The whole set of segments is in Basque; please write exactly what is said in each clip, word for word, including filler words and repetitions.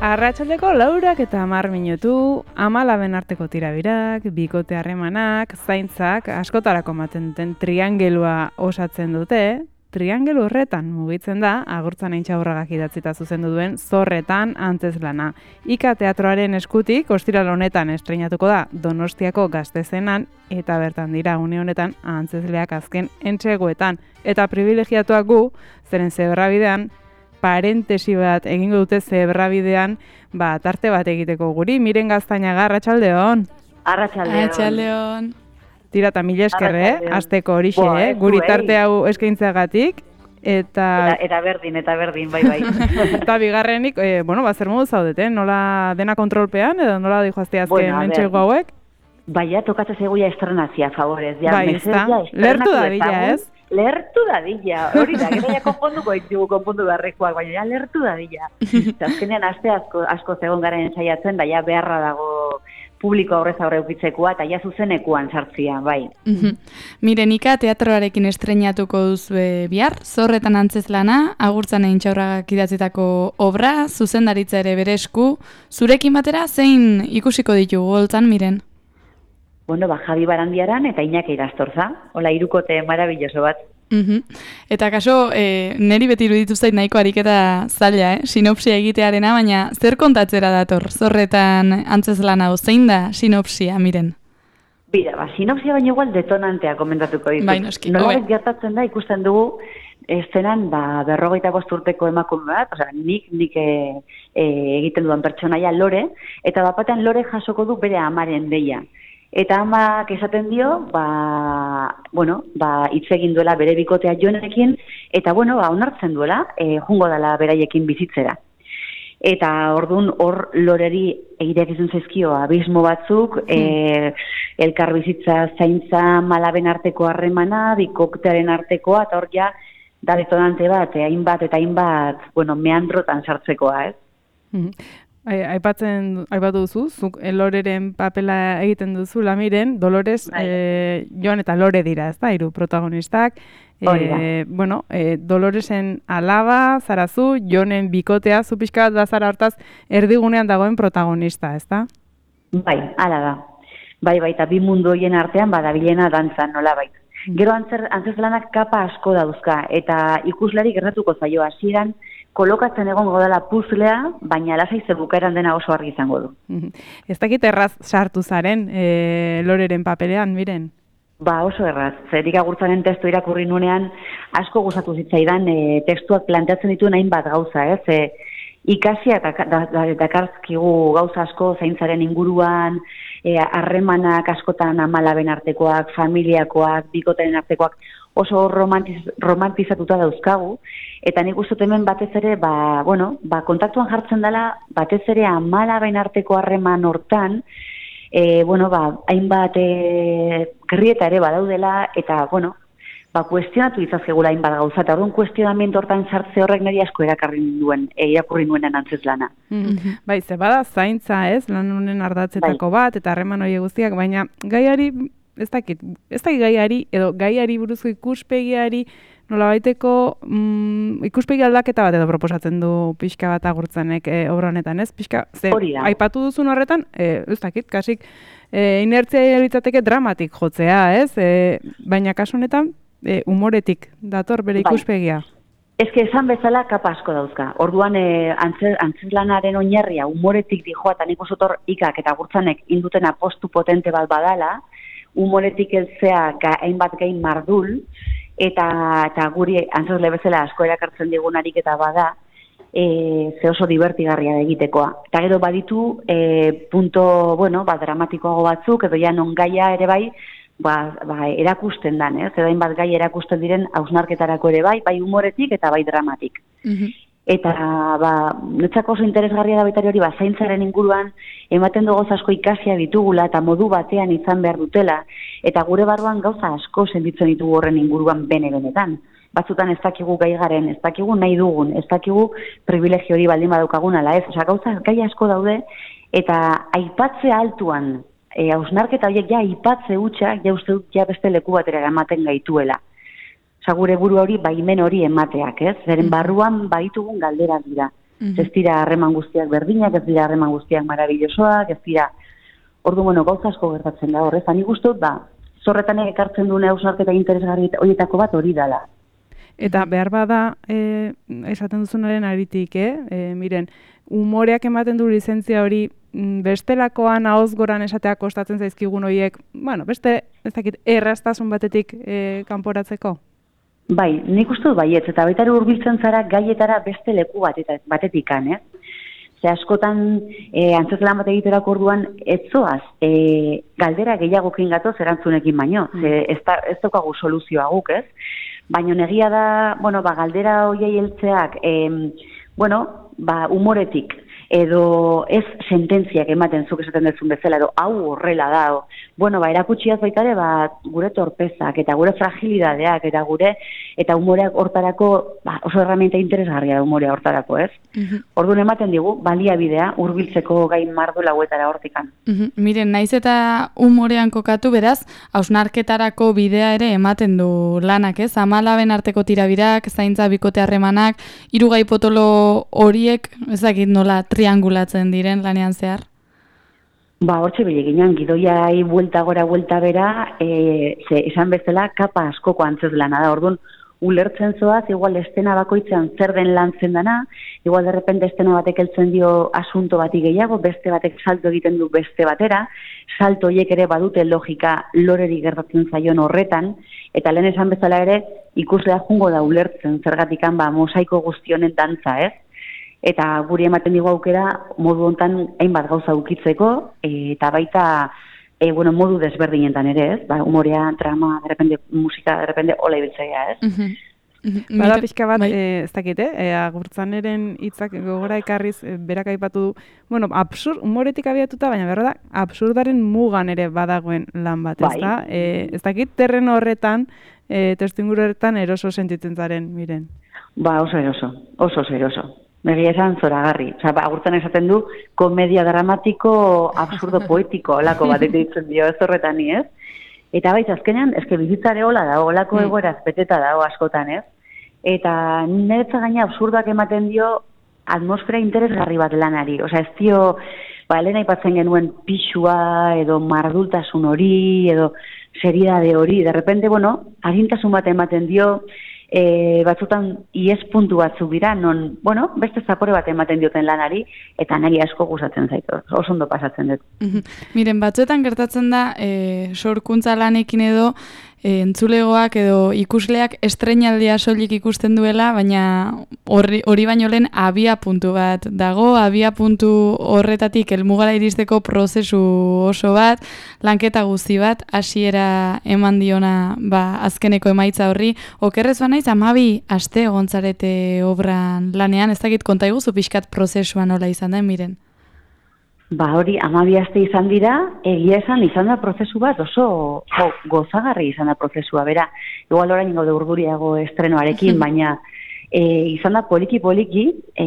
Arratsaldeko laurak eta hamar minutu, amalaben arteko tirabirak, bikote harremanak, zaintzak, askotarako ematen duten triangelua osatzen dute. Triangelu horretan mugitzen da, Agurtzan Aintxaurragak idatzita zuzendu duen Zorretan Antzezlana. Ika teatroaren eskutik, ostiral honetan estreinatuko da Donostiako Gaztezenan, eta bertan dira une honetan antzezleak azken entseguetan. Eta privilegiatuak gu, zeren zebrabidean, parentesi bat egingo dute zebrabidean, ba, tarte bat egiteko guri. Miren Gaztainaga, arratsaldeon. Arratsaldeon. Arratsaldeon. Tira eta mila esker, eh? Azteko horixe, eh? Guri tarte hau eskaintzeagatik. Eta... Eta, eta berdin, eta berdin, bai, bai. Eta bigarrenik, eh, bueno, ba, zer modu zaudete, nola dena kontrolpean, edo nola dihoazte azken bueno, entxego hauek? Baina, tokatzen zegoia estrenazia, favorez. Ja, bai, ez da? Lertu dadila, ez? Lertu dadila, hori da, gero ja konponduko ditugu konpondu beharrekoak, baina ja lertu dadila. Azkenean aste asko, asko zegoen garen saiatzen, da ja beharra dago publiko aurrez aurre ukitzekoa, eta ja zuzenekuan sartzia, bai. Miren, Ika teatroarekin estreinatuko duzu bihar, Zorretan Antzezlana, Agurtzan Aintxaurragak idatzitako obra, zuzendaritza ere bere esku, zurekin batera zein ikusiko ditugu holtzan, Miren? Bueno, ba, Javi Barandiaran eta Iñaki Irastorza, hola hirukote marabilloso bat. Uh-huh. Eta kaso, e, neri beti iruditu zait nahiko ariketa zaila, eh? Sinopsia egitearena, baina zer kontatzera dator Zorretan Antzezlana, zein da sinopsia, Miren? Bira, ba, sinopsia baina igual detonantea komentatuko ditut. Bai, noski. Nola gertatzen da, ikusten dugu, eszenan, ba, berrogeita bost urteko emakume bat, osea, nik, nik e, e, egiten dudan pertsonaia Lore, eta bapatean Lore jasoko du bere amaren deia. Eta amak esaten dio, ba, bueno, ba, hitz egin duela bere bikotea Jonekin, eta, bueno, ba, onartzen duela, e, jungo dela beraiekin bizitzera. Eta ordun hor Loreri egitek izan zaizkio abismo batzuk, mm. e, elkar bizitza zaintza malaben arteko harremana, bikoktearen artekoa, eta hor ja, da detonante bat, e, hainbat eta hainbat, bueno, meandrotan sartzekoa, ez? Mm. Aipatzen, aipatu duzu, zuk Loreren papela egiten duzu, Miren, Dolores, e, Joan eta Lore dira, ez da, hiru protagonistak. E, bueno, e, Doloresen alaba, zarazu, Jonen bikotea, zu pixka bat bazara hortaz, erdigunean dagoen protagonista, ez da? Bai, ala da. Bai, bai, eta bi mundu horien artean badabilena dantzan, nola bai. Gero antzer, antzezlanak kapa asko dauzka, eta ikuslari gertatuko zaio hasieran, kolokatzen egongo dela puzlea, baina lasai zer bukaeran dena oso argi izango du. Ez dakit erraz sartu zaren e, Loreren papelean, Miren? Ba, oso erraz. Zerik Agurtzanen testu irakurri nunean asko gustatu zitzaidan e, testuak planteatzen ditu hainbat gauza, ez? E, ikasia eta dakartzkigu gauza asko zaintzaren inguruan, harremanak e, askotan amalaben artekoak, familiakoak, bikotaren artekoak, oso romantiz, romantizatuta dauzkagu, eta nik uste hemen batez ere, ba, bueno, ba, kontaktuan jartzen dela, batez ere amalaben arteko harreman hortan, e, bueno, ba, hainbat e, gerrieta ere badaudela, eta, bueno, ba, kuestionatu izazkegula hainbat gauza, eta orduan kuestionamendu hortan sartze horrek niri asko erakarri duen, e, irakurri nuenan antzezlana. Mm-hmm. Bai, ze bada zaintza, ez, lan honen ardatzetako bai. Bat, eta harreman hori guztiak, baina gaiari, ez dakit, ez dakit gaiari, edo gaiari buruzko ikuspegiari, nolabaiteko mm, ikuspegi aldaketa bat edo proposatzen du pixka bat Agurtzanek e, obra honetan, ez? Pixka, ze, aipatu duzun horretan, e, ez dakit, kasik, e, inertzia litzateke dramatik jotzea, ez? E, baina kasu honetan, e, humoretik dator bere ikuspegia. Ez que esan bezala kapa asko dauzka. Orduan e, antzezlanaren oinarria humoretik dijoa, eta nik osotor Ikak eta Agurtzanek induten apostu potente bat badala, humoretik heltzea hainbat gain mardul, eta, eta guri antzezle bezala asko erakartzen digun ariketa bada, e, ze oso divertigarria da egitekoa. Eta gero baditu e, punto, bueno, ba, dramatikoago batzuk, edo ja non gaia ere bai, ba, ba, erakusten dan, ez? Edo hainbat gai erakusten diren hausnarketarako ere bai, bai humoretik eta bai dramatik. Mm-hmm. Eta, ba, netzako oso interesgarria da baitari hori, ba, zaintzaren inguruan, ematen dugu asko ikasia ditugula, eta modu batean izan behar dutela, eta gure barruan gauza asko sentitzen ditugu horren inguruan bene-benetan. Batzutan ez dakigu gai garen, ez dakigu nahi dugun, ez dakigu privilegio hori baldin badaukagun ala ez. Osa, gauza gai asko daude, eta aipatze altuan, e, hausnarketa horiek ja aipatze hutsa, ja uste dut ja beste leku batera ematen gaituela. Osa, gure buru hori baimen hori emateak, ez? Zeren barruan baditugun galderak dira. Mm-hmm. Ez dira harreman guztiak berdinak, ez dira harreman guztiak marabillosoak, ez dira, ordu, bueno, gauza asko gertatzen da horrez. Ani guztot, ba, zorretan ekartzen duen hausnarketa interesgarri horietako bat hori dela. Eta behar bada, e, esaten duzunaren aritik, eh? E, miren, umoreak ematen du lizentzia hori bestelakoan ahoz goran esatea kostatzen zaizkigun horiek, bueno, beste, ez dakit, erraztasun batetik e, kanporatzeko? Bai, nik uste dut baietz, eta baita hurbiltzen zara gaietara beste leku batetik, batetikan, eh? Ze askotan e, antzezlan bat egiterako orduan etzoaz, e, galdera gehiagokin gatoz erantzunekin baino, ze ez, da, ez daukagu soluzioa guk, ez? Baina negia da, bueno, ba, galdera hoiei heltzeak, e, bueno, ba, umoretik, edo ez sententziak ematen zuk esaten duzun bezala, edo hau horrela da, o, bueno, ba, erakutxiaz baitare, ba, gure torpezak, eta gure fragilidadeak, eta gure, eta umoreak hortarako, ba, oso herramienta interesgarria da umorea hortarako, ez? Mm-hmm. Orduan ematen digu, baliabidea, hurbiltzeko gain mardu lauetara hortikan. Mm-hmm. Miren, naiz eta umorean kokatu, beraz, hausnarketarako bidea ere ematen du lanak, ez? Amalaben arteko tirabirak, zaintza bikote harremanak, hiru gai potolo horiek, ezakit nola, triangulatzen diren lanean zehar? Ba, hortxe bileginan, gidoiai buelta gora, buelta bera, e, ze, esan bezala, kapa askoko antzez lana da. Orduan, ulertzen zoaz, igual estena bakoitzean zer den lantzen dana, igual derrepente estena batek heltzen dio asunto bati gehiago, beste batek salto egiten du beste batera, salto horiek ere badute logika loreri gertatzen zaion horretan, eta lehen esan bezala ere, ikuslea jungo da ulertzen, zergatikan, ba, mosaiko guztionen dantza, ez? Eta guri ematen digu aukera modu hontan hainbat gauza ukitzeko, e, eta baita e, bueno, modu desberdinetan ere, ez? Ba, humorea, drama, derrepende musika, derrepende hola ibiltzea, ez? Mm-hmm. Mm-hmm. Bada pixka bat, e, ez dakit, eh? Agurtzaneren hitzak gogora ekarriz, e, berak aipatu du, bueno, absurd, humoretik abiatuta, baina berra da, absurdaren mugan ere badagoen lan bat, ez da? Bai. E, ez dakit, terreno horretan, e, testuinguru horretan eroso sentitzen zaren, miren. Ba, oso eroso, oso oso eroso. Begia esan zoragarri. Osa, ba, agurtzen esaten du, komedia dramatiko, absurdo poetiko, olako bat ditzen dio ez horretan ni, ez? Eta baita, azkenean, eske bizitzare hola da, olako mm. egoeraz beteta dago askotan, ez? Eta niretza gaina absurdoak ematen dio atmosfera interesgarri bat lanari. Osa, ez dio, ba, lehen aipatzen genuen pixua, edo mardultasun hori, edo seriedade hori. De repente, bueno, arintasun bat ematen dio, E, batzutan ies puntu batzuk dira, non, bueno, beste zapore bat ematen dioten lanari, eta niri asko gustatzen zaitu, oso ondo pasatzen dut. Miren, batzuetan gertatzen da, e, sorkuntza lanekin edo, e, entzulegoak edo ikusleak estreinaldia soilik ikusten duela, baina hori, hori baino lehen abia puntu bat dago, abia puntu horretatik helmugara iristeko prozesu oso bat, lanketa guzti bat, hasiera eman diona ba, azkeneko emaitza horri. Okerrez ba naiz, amabi aste egontzarete obran lanean, ez dakit konta iguzu pixkat prozesua nola izan da, miren? Ba hori, amabi aste izan dira, egia esan izan da prozesu bat oso jo, gozagarri izan da prozesua, bera, igual orain gaude urduriago estrenoarekin, baina e, izan da poliki-poliki e,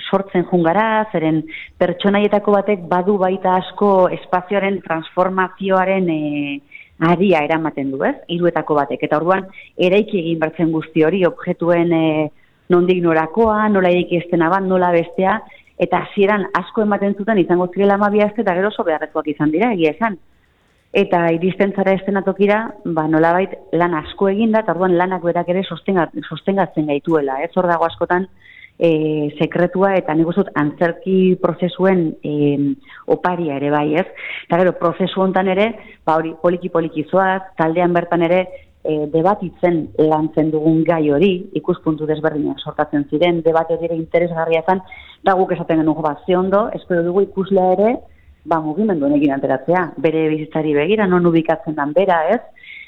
sortzen jungara, zeren pertsonaietako batek badu baita asko espazioaren transformazioaren e, aria eramaten du, ez? Hiruetako batek, eta orduan eraiki egin bertzen guzti hori, objektuen e, nondik norakoa, nola eraiki estena bat, nola bestea, eta hasieran asko ematen zuten izango zirela amabi aste eta gero oso beharrezkoak izan dira, egia esan. Eta iristen zara estenatokira, ba nolabait lan asko eginda, eta orduan lanak berak ere sostengatzen gaituela, ez? Hor dago askotan e, sekretua eta nik uste dut antzerki prozesuen e, oparia ere bai, ez? Eta gero prozesu hontan ere, ba hori poliki-poliki zoaz, taldean bertan ere E, debatitzen lantzen dugun gai hori, ikuspuntu desberdinak sortatzen ziren, debate dire interesgarria zen, da guk esaten genuen, ba, ze ondo, espero dugu ikuslea ere, ba, mugimenduen egin ateratzea, bere bizitzari begira, non ubikatzen dan bera, ez?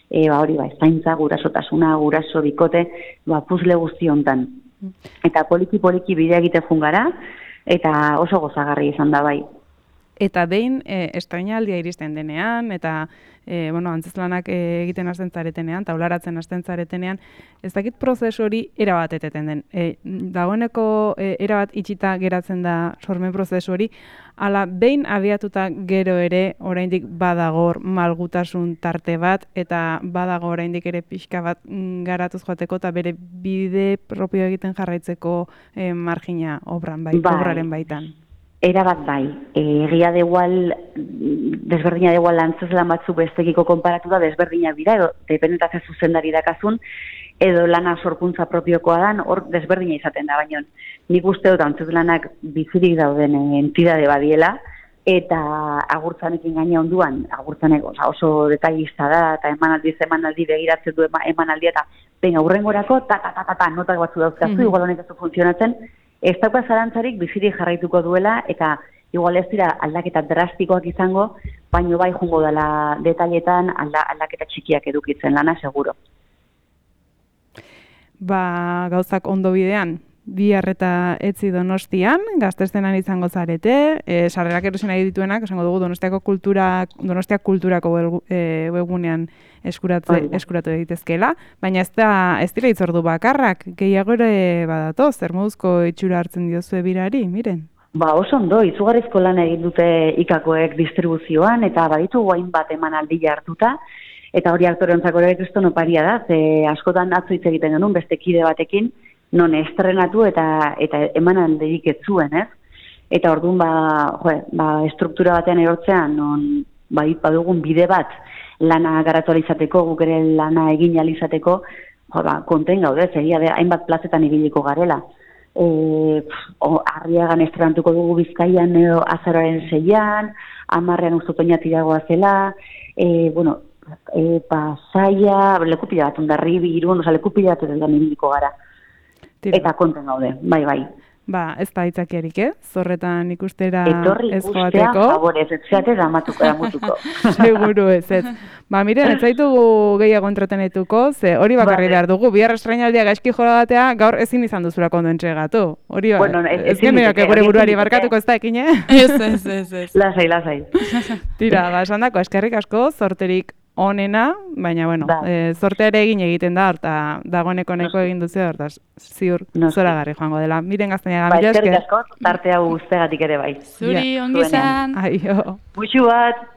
E, ba, hori, ba, zaintza, gurasotasuna, guraso, bikote, ba, puzle guzti hontan. Eta poliki-poliki bidea egite jungara, eta oso gozagarri izan da bai. Eta behin e, estrainaldia iristen denean, eta e, bueno, antzezlanak e, egiten hasten zaretenean, taularatzen hasten zaretenean, ez dakit prozesu hori erabat eteten den. E, dagoeneko e, erabat itxita geratzen da sormen prozesu hori, ala behin abiatuta gero ere oraindik badagor malgutasun tarte bat, eta badago oraindik ere pixka bat mm, garatuz joateko, eta bere bide propio egiten jarraitzeko e, margina obran bai, Bai. obraren baitan. Erabat bai, egia de igual, desberdina de igual antzezlan batzuk bestekiko konparatu da, desberdinak dira, edo dependentazio zuzendari dakazun, edo lana sorkuntza propiokoa dan, hor desberdina izaten da, baina nik uste dut antzezlanak bizirik dauden entidade badiela, eta agurtzanekin gaina onduan, agurtzanek oza, oso detailista da, eta emanaldi emanaldi begiratzen du emanaldia, eta ben aurrengorako, ta, ta, ta, ta, ta, notak batzu dauzkazu, mm-hmm. igual honek ez du funtzionatzen, ez dauka zarantzarik bizirik jarraituko duela, eta igual ez dira aldaketa drastikoak izango, baino bai jungo dela detailetan alda, aldaketa txikiak edukitzen lana, seguro. Ba, gauzak ondo bidean, bihar eta etzi Donostian, gaztestenan izango zarete, e, sarrerak erosi nahi dituenak, esango dugu Donostiako kultura, Donostia kulturako webgunean eskuratze, eskuratu egitezkela, baina ez da ez dira itzordu bakarrak, gehiago ere badatoz, zer moduzko itxura hartzen diozue birari, miren? Ba, oso ondo, izugarrizko lan egin dute ikakoek distribuzioan, eta baditu guain bat emanaldi hartuta, eta hori aktoreontzako ere kriston oparia da, ze askotan atzo hitz egiten genuen beste kide batekin, non estrenatu eta eta emanaldirik ez zuen, ez? Eta orduan ba, jo, ba estruktura batean erortzean non bai badugun bide bat lana garatu izateko, guk ere lana egin izateko, jo ba konten gaude, egia da hainbat plazetan ibiliko garela. Eh, Arriagan estrenatuko dugu Bizkaian edo azaroaren seian, hamarrean uste otoñatiragoa zela, eh, bueno, e, Pasaia, lekupila bat Hondarribi, Irun, oza, lekupila bat edan ibiliko gara. Tira. Eta konten gaude, bai, bai. Ba, ez da itzakiarik, eh? Zorretan ikustera Etorri ez joateko. Etorri ikustea, favorez, ez zeate damatuko, damutuko. Seguru ez, ez. Ba, miren, ez zaitugu gehiago entretenetuko, ze hori bakarri behar dugu, bihar estrainaldia gaizki joratea, gaur ezin izan duzulako ondo entregatu. Hori ba, bueno, ez, ez gemeak egure buruari barkatuko ez da ekin, eh? Ez, ez, ez, ez. Lasai, lasai. Tira, ba, esan dako, eskerrik asko, zorterik onena, baina, bueno, e, zorteare egin egiten da, eta dagoeneko neko egin duzu, hortaz, ziur, zora garri joango dela. Miren Gaztañaga, ba, mila esker. Eskerrik asko, tarte hau guztegatik ere bai. Zuri, ongi zan. Aio. Muxu bat.